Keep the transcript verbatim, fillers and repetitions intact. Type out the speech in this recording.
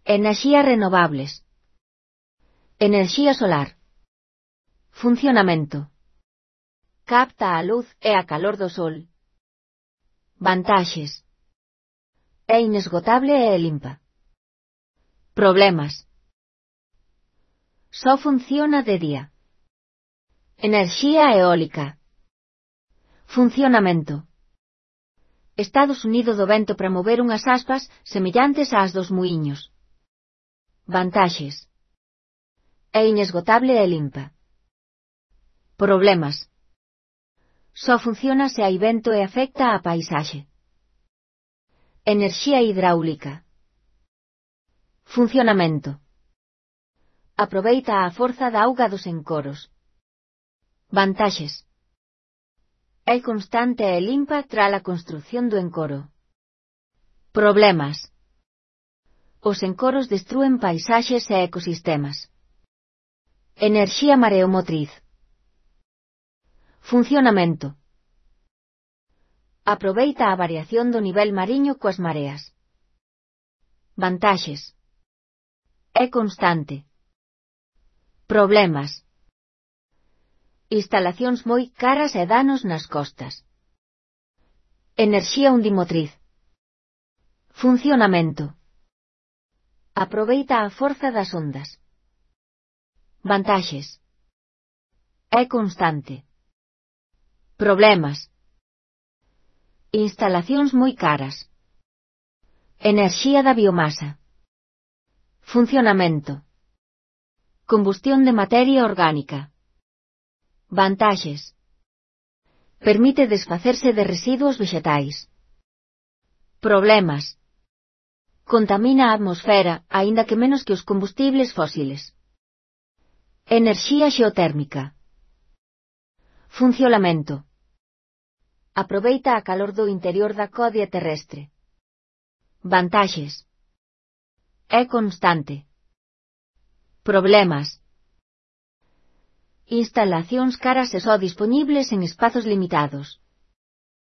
Enerxías renovables. Enerxía solar. Funcionamento. Capta a luz e a calor do sol. Vantaxes. É inesgotable e limpa. Problemas. Só funciona de día. Enerxía eólica. Funcionamento. Estados Unidos do vento para mover unhas aspas semellantes ás dos muiños. Vantaxes. É inesgotable e limpa. Problemas. Só funciona se hai vento e afecta á paisaxe. Enerxía hidráulica. Funcionamento. Aproveita a forza da auga dos encoros. Vantaxes. É constante e limpa tras a construción do encoro. Problemas. Os encoros destrúen paisaxes e ecosistemas. Enerxía mareomotriz. Funcionamento. Aproveita a variación do nivel mariño coas mareas. Vantaxes. É constante. Problemas. Instalacións moi caras e danos nas costas. Enerxía undimotriz. Funcionamento. Aproveita a forza das ondas. Vantaxes. É constante. Problemas. Instalacións moi caras. Enerxía da biomasa. Funcionamento. Combustión de materia orgánica. Vantaxes. Permite desfacerse de residuos vexetais. Problemas. Contamina a atmosfera, aínda que menos que os combustibles fósiles. Enerxía xeotérmica. Funcionamento. Aproveita a calor do interior da codia terrestre. Vantaxes. É constante. Problemas. Instalacións caras e só dispoñibles en espazos limitados.